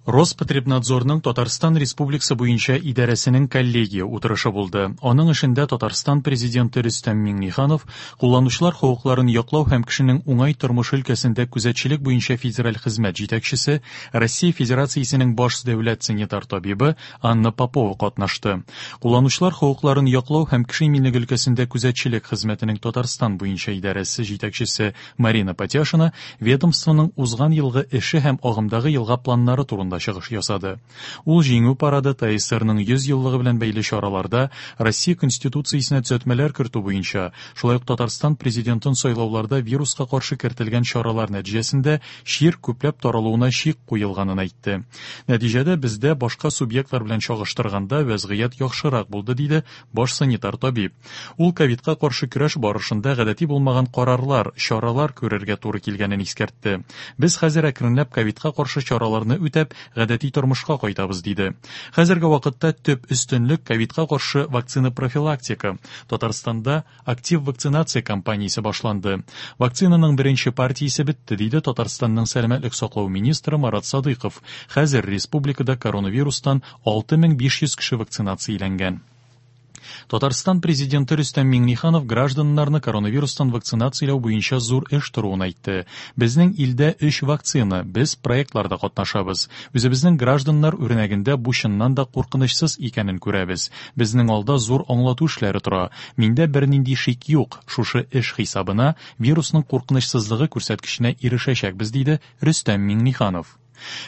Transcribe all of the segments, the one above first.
Роспотребнадзорның Татарстан Республикасы буенча идарәсенең коллегия утырышы булды. Аның эшендә Татарстан Президенты Рөстәм Миңнеханов, кулланучылар хокукларын яклау һәм кешенең уңай тормышы өлкәсендә күзәтчелек буенча федераль хезмәт җитәкчесе, Россия Федерациясенең баш дәүләт санитар табибы Анна Попова катнашты. Кулланучылар хокукларын яклау һәм кеше иминлеге өлкәсендә күзәтчелек хезмәтенең Татарстан буенча идарәсе җитәкчесе Марина Патяшина ведомствоның узган елгы эше һәм агымдагы елга планнары турында чыгыш ясады. Ул Җиңү парады, ТАССРның 100 еллыгы белән бәйле чараларда Россия Конституциясенә төзәтмәләр кертү буенча, шулай ук Татарстан Президентын сайлауларда вируска каршы кертелгән чаралар нәтиҗәсендә чир күпләп таралуына чик куелганын әйтте. Нәтиҗәдә бездә башка субъектлар белән чагыштырганда вәзгыять яхшырак булды, диде баш санитар табиб. Ул ковидка каршы көрәш барышында гадәти булмаган карарлар, чаралар күрергә туры килгәнен искәртте. Без хәзер әкренләп ковидка каршы чараларны үтәп, гадәти тормышка кайтабыз, диде. Хәзерге вакытта төп өстенлек ковидка каршы вакцина профилактика. Татарстанда актив вакцинация кампаниясе башланды. Вакцинаның беренче партиясе бетте, диде Татарстанның сәламәтлек саклау министры Марат Садыйков. Хәзер республикада коронавирустан 6500 кеше вакцинацияләнгән. Татарстан Президенты Рөстәм Миңнеханов гражданнарны коронавирустан вакцинацияләү буенча зур эш торуын әйтте. Безнең илдә өч вакцина, без проектларда катнашабыз. Үзебезнең гражданнар үрнәгендә бу чыннан да куркынычсыз икәнен күрәбез. Безнең алда зур аңлату эшләре тора. Миндә бернинди шик юк, шушы эш хисабына вирусның куркынычсызлыгы күрсәткеченә ирешәчәкбез, диде Рөстәм Миңнеханов.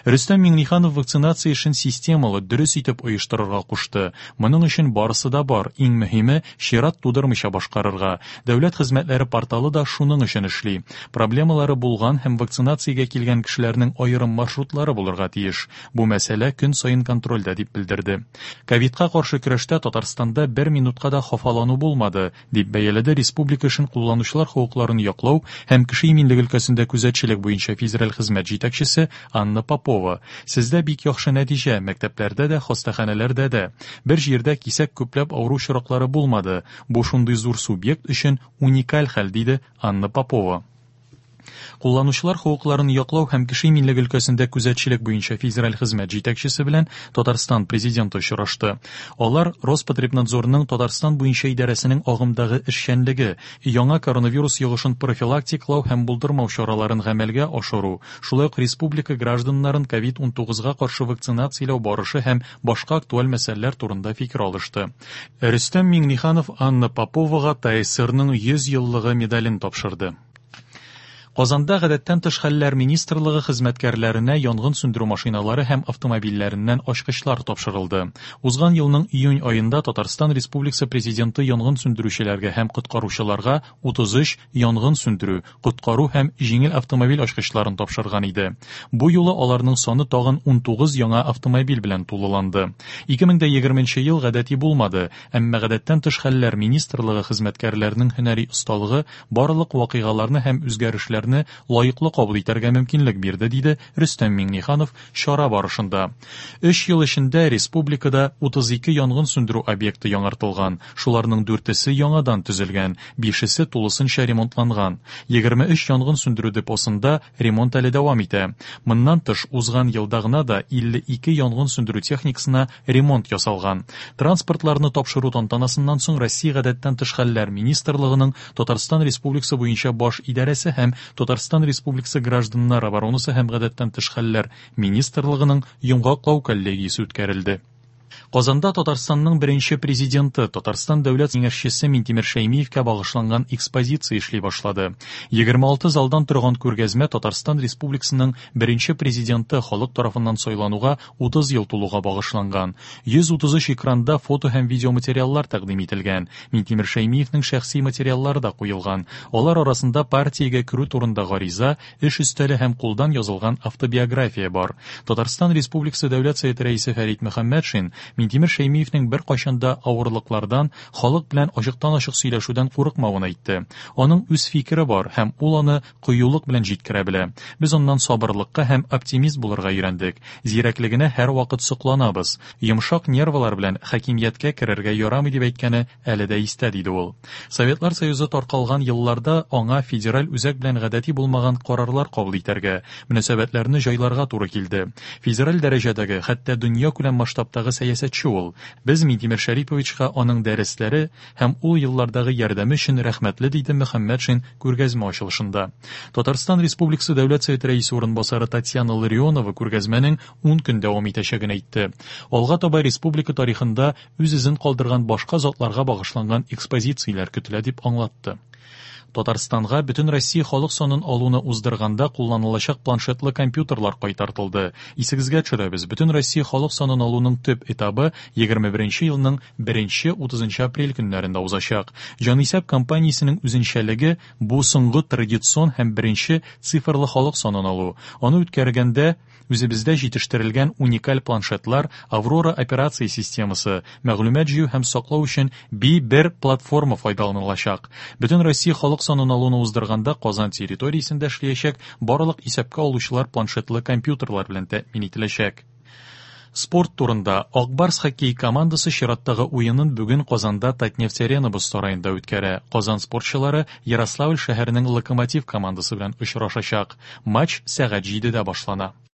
Рөстәм Миңнеханов вакцинация эшен системалы, дөрес итеп оештырырга кушты. Моның өчен барысы да бар, иң мөһиме, чират тудырмыйча башкарырга. Дәүләт хезмәтләре порталы да шуның өчен эшли. Проблемалары булган һәм вакцинациягә килгән кешеләрнең аерым маршрутлары булырга тиеш. Бу мәсьәлә көн саен контрольдә, дип белдерде. Ковидка каршы көрәштә Татарстанда бер минутка да хафалану булмады, дип бәяләде республика эшен кулланучылар хокукларын яклау һәм кеше иминлеге өлкәсендә күзәтчелек буенча федераль хезмәт җитәкчесе Анна Попова. Сездә бик яхшы нәтиҗә, мәктәпләрдә дә, хастаханәләрдә дә. Бер җирдә кисәк күпләп авыру очраклары булмады. Бу шундый зур субъект өчен уникаль хәл, диде Анна Попова. Кулланучылар хокукларын яклау һәм кеше иминлеге өлкәсендә күзәтчелек буенча федераль хезмәт җитәкчесе белән Татарстан Президенты очрашты. Алар Роспотребнадзорның Татарстан буенча идарәсенең агымдагы эшчәнлеге, яңа коронавирус йогышын профилактикалау һәм булдырмау чараларын гамәлгә ашыру, шулай ук республика гражданнарын ковид-19 га каршы вакцинацияләү барышы һәм башка актуаль мәсьәләләр турында фикер алышты. Рөстәм Миңнеханов Анна Поповага ТАССРның 100 еллыгы медален тапшырды. Казанда Гадәттән тыш хәлләр министрлыгы хезмәткәрләренә янгын сүндерү машиналары һәм автомобильләреннән ачкычлар тапшырылды. Узган елның июнь аенда Татарстан Республикасы Президенты янгын сүндерүчеләргә һәм коткаручыларга 33 янгын сүндерү, коткару һәм җиңел автомобиль ачкычларын тапшырган иде. Бу юлы аларның саны тагын 19 яңа автомобиль белән тулыланды. 2020 ел гадәти булмады, әмма Гадәттән тыш хәлләр министрлыгы хезмәткәрләренең һөнәри осталыгы барлык вакыйгаларны һәм үзгәрешләрне лаеклы кабул итәргә мөмкинлек бирде, диде Рөстәм Миңнеханов чара барышында. Өч ел эчендә республикада 32 янгын сүндерү объекты яңартылган, шуларның дүртесе яңадан төзелгән, бишесе тулысынча ремонтланган. 23 янгын сүндерү депосында ремонт әле дәвам итә. Моннан тыш, узган елда гына да 52 янгын сүндерү техникасына ремонт ясалган. Транспортларны тапшыру тантанасыннан соң Россия Гадәттән тыш хәлләр министрлыгының Татарстан Республикасы буенча баш идарәсе һәм Татарстан Республикасы Гражданнар оборонасы һәм гадәттән тыш хәлләр министрлыгының йомгаклау коллегиясе үткәрелде. Казанда Татарстанның беренче президенты, Татарстан дәүләт киңәшчесе Минтимер Шәймиевкә багышланган экспозиция эшли башлады. 26 залдан торган күргәзмә Татарстан Республикасының беренче президенты халык тарафыннан сайлануга 30 ел тулуга багышланган. 133 экранда фото һәм видеоматериаллар тәкъдим ителгән. Минтимер Шәймиевнең шәхси материаллары да куелган. Алар арасында партиягә керү турында гариза, эш өстәле һәм кулдан язылган автобиография бар. Татарстан Республикасы Дәүләт Советы Рәисе Фәрит Мөхәммәтшин Минтимер Шәймиевнең беркайчан да авырлыклардан, халык белән ачыктан-ачык сөйләшүдән курыкмавын әйтте. Аның үз фикере бар һәм ул аны кыюлык белән җиткерә белә. Без аннан сабырлыкка һәм оптимист булырга өйрәндек. Зирәклегенә һәрвакыт сокланабыз. Йомшак нервылар белән хакимияткә керергә ярамый дип әйткәне әле дә истә, диде ул. Советлар Союзы таркалган елларда аңа федераль үзәк белән гадәти булмаган карарлар кабул итәргә, мөнәсәбәтләрне җайларга туры килде. Федераль дәрәҗәдәге, хәтта дөньякүләм масштабтагы сәясәтче ул. Без Минтимер Шәриповичка аның дәресләре һәм ул еллардагы ярдәме өчен рәхмәтле, диде Мөхәммәтшин күргәзмә ачылышында. Татарстан Республикасы Дәүләт Советы Рәисе урынбасары Татьяна Ларионова күргәзмәнең 10 көн дәвам итәчәген әйтте. Алга таба республика тарихында үз эзен калдырган башка затларга багышланган экспозицияләр көтелә, дип аңлатты. Татарстанга Бөтенроссия халык санын алуны уздырганда кулланылачак планшетлы компьютерлар кайтартылды. Исегезгә төшерәбез, Бөтенроссия халык санын алуның төп этабы 21 елның 1-30 апрель көннәрендә узачак. Җанисәп кампаниясенең үзенчәлеге бу соңгы традицион һәм беренче цифрлы халык санын алу. Аны үткәргәндә үзебездә җитештерелгән уникаль планшетлар, Аврора операция системасы, мәгълүмат җыю һәм саклау өчен Би-1 платформа файдаланылачак. Бөтен Россия халык санын алуны уздырганда Казан территориясендә эшләячәк барлык исәпкә алучылар планшетлы компьютерлар белән тәэмин ителәчәк. Спорт турында. Ак Барс хоккей командасы чираттагы уенын бүген Казанда Татнефть-Арена боз сараенда үткәрә. Казан спортчылары Ярославль шәһәренең Локомотив командасы белән очрашачак. Матч сәгать 7-дә башлана.